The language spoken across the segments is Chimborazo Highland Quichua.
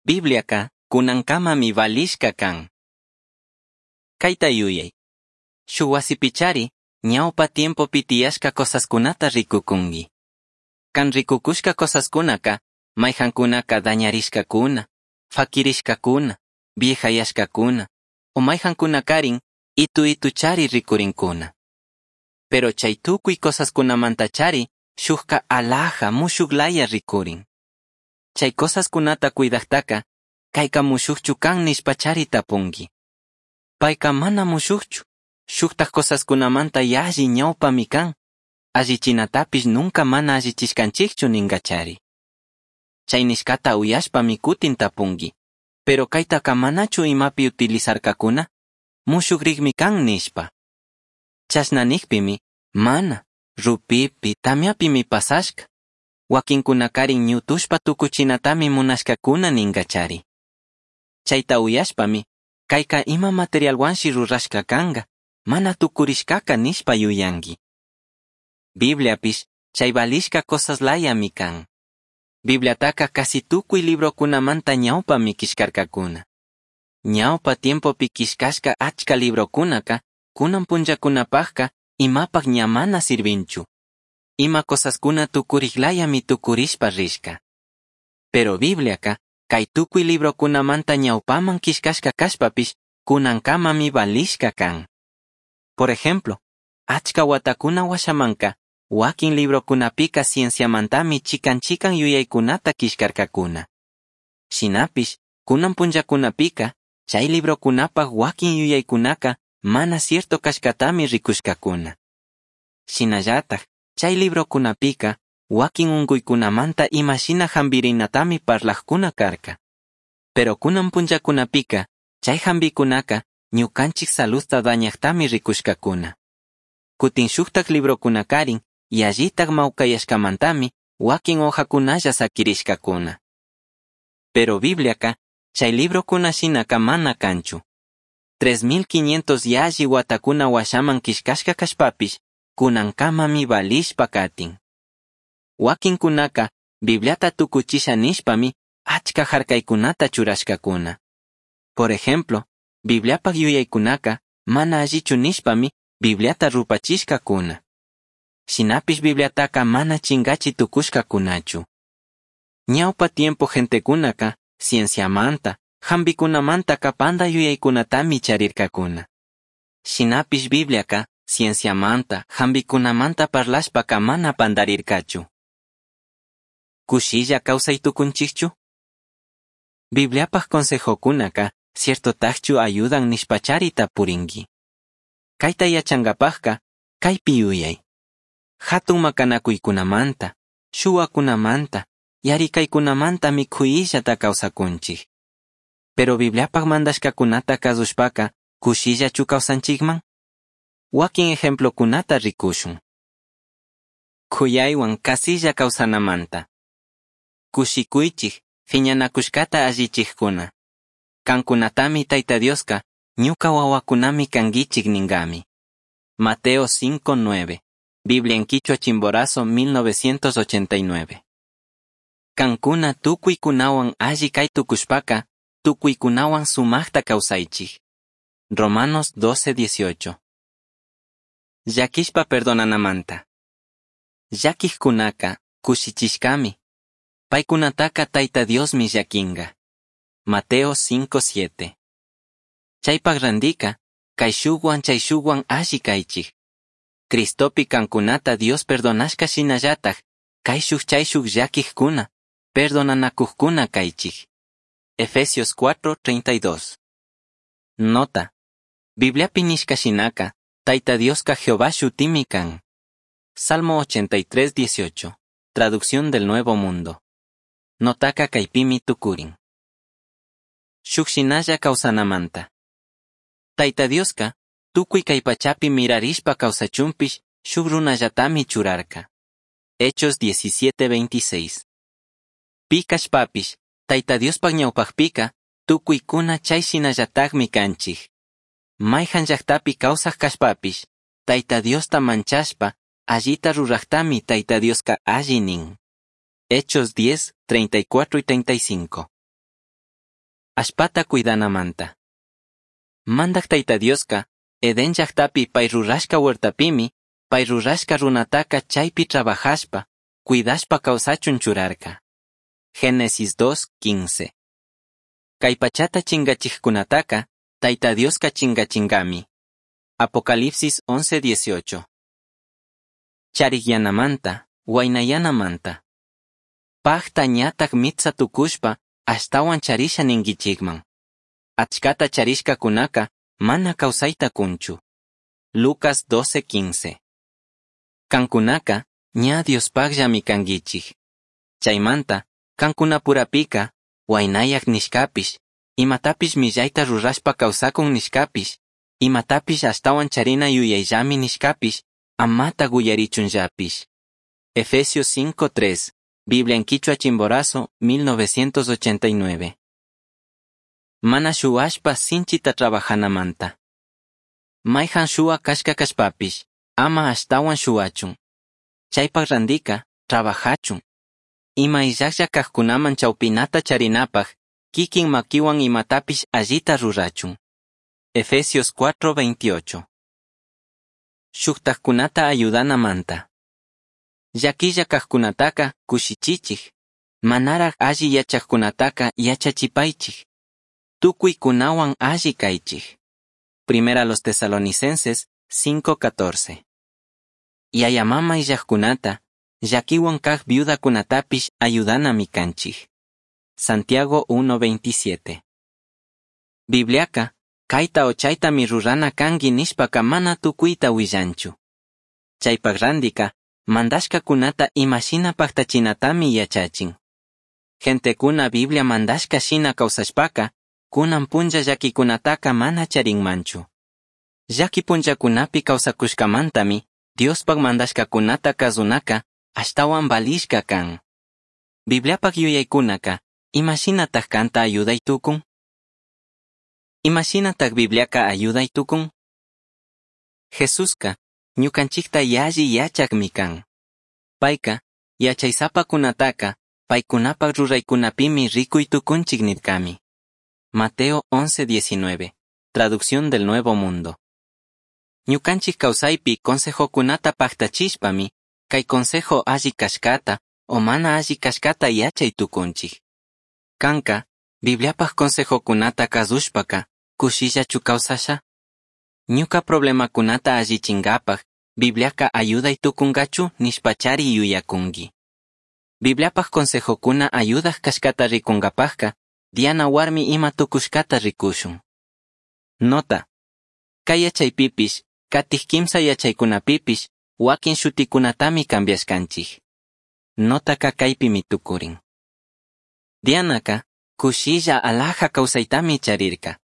Bibliaca cunancamami valishca can. Caita yuyai. Shuj huasipichari ñaupa tiempopi tiyashca cosascunata ricucungui. Can ricucushca cosascunaca maijancunaca dañarishcacuna, faquirishcacuna, viejayashcacuna, o maijancunacarin itu ituchari ricurincuna. Pero chay tucui cosascunamantachari shujca alhaja mushuglaya ricurin. Chay cosascunata cuidajtaca, caica mushujchu can nishpachari tapungui. Paica mana mushujchu, shujtaj cosascunamanta yalli ñaupami can, allichinatapish nunca mana allichishcanchijchu ningachari. Chay nishcata uyashpami cutin tapungui, pero caitaca manachu imapi utilizarcacuna, mushugrigmi can nishpa. Chashna nijpimi, mana, rupipi, tamiapimi pasashca. Wakinkunakarin ñutushpa tukuchinatami munashkakuna ningachari. Chayta uyashpami, kayka ima materialwanshi rurashka kanga, mana tukurishkaka nishpa yuyanki. Bibliapish chay valishka cosas layami kan. Bibliataka casi tukuy librokunamanta ñawpami killkarkakuna. Ñawpa tiempopi killkashka achka librokunaka kunan punllakunapajka imapaj ña mana sirvinchu. Ima cosaskuna tukuriklayami tukurishpa rishka. Pero Bibliaka kay tukuy librokunamanta ñawpaman killkashka kashpapish kunankamami valishka kan. Por ejemplo, achka watakuna washamanka wakin librokunapika cienciamantami chikan chikan yuyaykunata killkarkakuna. Shinapish, kunan punllakunapika, chay librokunapaj wakin yuyaykunaka mana cierto kashkatami rikushkakuna. Shinallataj, chay librokunapika, wakin unkuykunamanta imashina hampirinatami parlajkuna karka. Pero kunan punllakunapika, chay hampikunaka ñukanchik saludta dañajtami rikushkakuna. Kutin shuktak librokunakarin, yallitak mawkayashkamantami wakin hojakunalla sakirishkakuna. Pero Bibliaka, chay librokuna shinaka mana kanchu. 3500 yalli watakuna washaman killkashka kashpapish, kunankamami valishpa katin. Wakinkunaka, Bibliata tukuchisha nishpami, achka harkaykunata churashkakuna. Por ejemplo, Bibliapak yuyaykunaka, mana allichu nishpami, Bibliata rupachishkakuna. Shinapish Bibliataka mana chingachi tukushkakunachu. Ñawpa tiempo gentekunaka, cienciamanta, hampikunamantaka panda yuyaykunatami charirkakuna. Shinapish Bibliaka, cienciamanta, hampikunamanta parlashpaka mana pandarirkachu. Kushilla kawsay tukunchikchu? Bibliapaj consejokunaka, ciertotajchu ayudan nishpachari tapurinki. Kayta yachankapajka, kaypi yuyay. Hatun makanakuykunamanta, shuwakunamanta, yarikaykunamantami kuyillata kawsakunchik. Pero Bibliapaj mandashkakunata kasushpaka, kushillachu kawsanchikman? Wakin ejemplokunata rikushun. Kuyaywan kasilla kawsanamanta. Kushikuychik, phiñanakushkata allichijkuna. Kankunatami Tayta Dioska, ñuka wawakunami kanguichik ningami. Mateo 5:9. Biblia en Quichua Chimborazo 1989. Kankuna tukuykunawan alli kay tukushpaka, tukuykunawan sumajta kawsaychik. Romanos 12:18. Llakishpa perdonanamanta. Llakijkunaka kushichishkami. Paykunataka Tayta Diosmi llakinga. Mateo 5:7. Chaypak randika, kayshuwan chayshuwan alli kaychik. Cristopi kankunata Dios perdonashka shinallataj, kayshuj chayshuj llakijkuna, perdonanakujkuna kaychik. Efesios 4:32. Nota. Bibliapi nishka shinaka, Tayta Dioska Jehová shutimi kan. Salmo 83:18. Traducción del Nuevo Mundo. Notaka kaypimi tukurin. Shuk shinalla kawsanamanta. Tayta Dioska, tukuy kay pachapi mirarishpa kawsachunpish shuk runallatami churarka. Hechos 17:26. Pi kashpapish, Tayta Diospaj ñawpajpika, tukuykuna chay shinallatajmi kanchik. Mayhan llaktapi kawsaj kashpapish, Tayta Diosta manchashpa, allita rurajtami Tayta Dioska alli nin. Hechos 10, 34 y 35. Allpata cuidanamanta. Mandaj Taita Diosca, Edén llajtapi pai rurashca huertapimi, pai rurashca runataca chaipi trabajashpa, cuidashpa causachun churarca. Génesis 2:15. Cai pachata chingachijcunataca, Taita Diosca chingachingami. Apocalipsis 11:18. Charijyanamanta, huaynayanamanta. Pajta ñataj mitsa tucushpa, ashtahuan charisha ninguichikman. Achkata charishkakunaka mana kawsayta kunchu. Lucas 12:15. Kankunaka ña Diospajllami kanguichik. Chaymanta, kankunapurapika, huaynayak nishkapish, imatapish millayta rurashpa kawsakun nishkapish, imatapish ashtawan charina yuyayllami nishkapish, amata uyarichunllapish. Efesios 5:3, Biblia en Quichua Chimborazo, 1989. Mana shuwashpa sinchita trabajanamanta. Maijan shuwa kashka kashpapish, ama ashtawan shuwachun. Chaypak randika, trabajachun. Ima illajlla kajkunaman chawpinata charinapaj, kikin makiwan imatapish allita rurachun. Efesios 4:28. Shuktajkunata ayudanamanta. Llaquilla kajkunataka kushichichij. Manaraj alli yachajkunataka yachachipaichij. Tukuykunawan alli kaychij. Primera los Tesalonicenses 5:14. Yaya mama illajkunata, llaquiwan kaj viudakunatapish ayudanami kanchij. Santiago 1:27. Bibliaka, kayta o chaytami rurana kanki nishpaka mana tukuyta willanchu. Chaypak randika, mandashkakunata imashina paktachinatami yachachin. Gentekuna Biblia mandashka shina kawsashpaka, kunan punlla llakikunataka mana charinmanchu. Llaki punllakunapi kawsakushkamantami, Diospak mandashkakunata kazunaka ashtawan valishka kan. Bibliapak yuyaykunaka, imashinataj kanta ayuday tukun? Imashinataj Bibliaka ayuday tukun? Jesuska, ñukanchikta yalli yachakmi kan. Payka, yachaysapakunataka, paykunapak ruraykunapimi rikuy tukunchik nirkami. Mateo 11:19, Traducción del Nuevo Mundo. Ñukanchik kawsaypi consejokunata paktachishpami, kay consejo alli kashkata o mana alli kashkata yachay tukunchik. Kanka, Bibliapaj consejokunata kazushpaka, kushillachu kawsasha? Ñuka problemakunata allichinkapaj, Bibliaka ayuday tukunkachu nishpachari yuyakunki. Bibliapaj consejokuna ayudaj kashkata rikunkapajka, Diana warmi ima tukushkata rikushun. Nota. Kay yachaypipish, katij kimsa yachaykunapipish, wakin shutikunatami cambiashkanchik. Notaka kaypimi tukurin. Dianaka, kushilla alhaja kawsaytami charirka.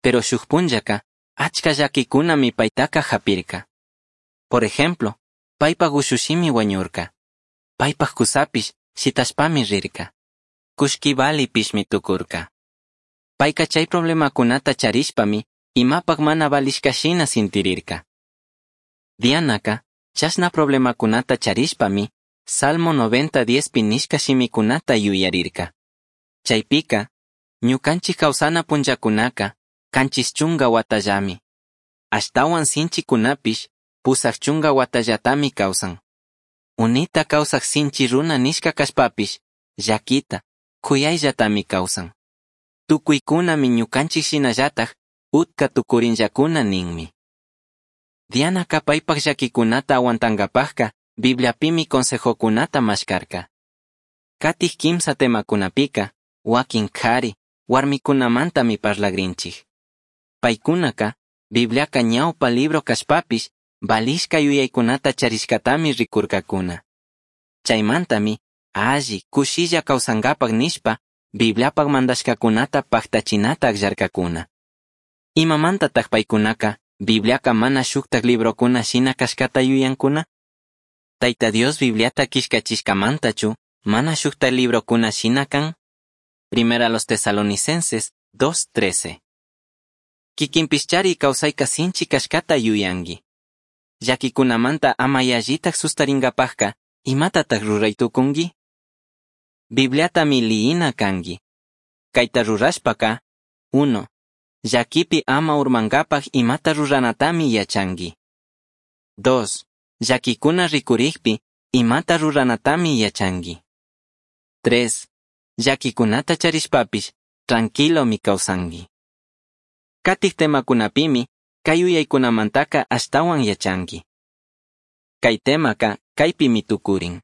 Pero shuk punllaka, achka llakikunami paytaka japirka. Por ejemplo, paypak ushushimi wañurka. Paypak kusapish shitashpami rirka. Kullki valipishmi tukurka. Payka chay problemakunata charishpami, imapak mana valishka shina sintirirka. Dianaka, chashna problemakunata charishpami, Salmo 90 pi nishka shimikunata yuyarirka. Chaypika, ñukanchik kawsana punllakunaka, kanchis chunga watallami. Ashtawan sinchikunapish, pusaj chunga watallatami kawsan. Unita kawsaj sinchi runa nishka kashpapish, llakita, kuyayllatami kawsan. Tukuykunami ñukanchik shinallataj, utka tukurinllakuna ninmi. Dianaka paypak llakikunata aguantankapajka, Bibliapimi consejokunata mashkarka. Katij kimsa temakunapika, wakin kari, warmikunamantami parlagrinchik. Paykunaka, Bibliaka ñawpa libro kashpapish, valishka yuyaykunata charishkatami rikurkakuna. Chaymantami, alli, kushilla kawsankapak nishpa, Bibliapak mandashkakunata paktachinata akllarkakuna. Imamantataj paykunaka, Bibliaka mana shuktak librokuna shina kashkata yuyankuna? Tayta Dios Bibliata killkachishkamantachu, mana shuktak librokuna shina kan? Primera los Tesalonicenses 2:13. Kikinpishchari kawsayka sinchi kashkata yuyanki. Llakikunamanta ama yallitaj sustarinkapajka, imatataj ruray tukunki? Bibliatami liyina kanki. Caita rurashpaca, 1. Llaquipi ama urmangapaj imata ruranatami yachangui. 2. Llaquicuna ricurijpi imata ruranatami yachangui. 3. Llaquicunata charishpapish tranquilomi causangui. Catij temacunapimi cai yuyaicunamantaca ashtahuan yachangui. Cai temaca caipimi tucurin.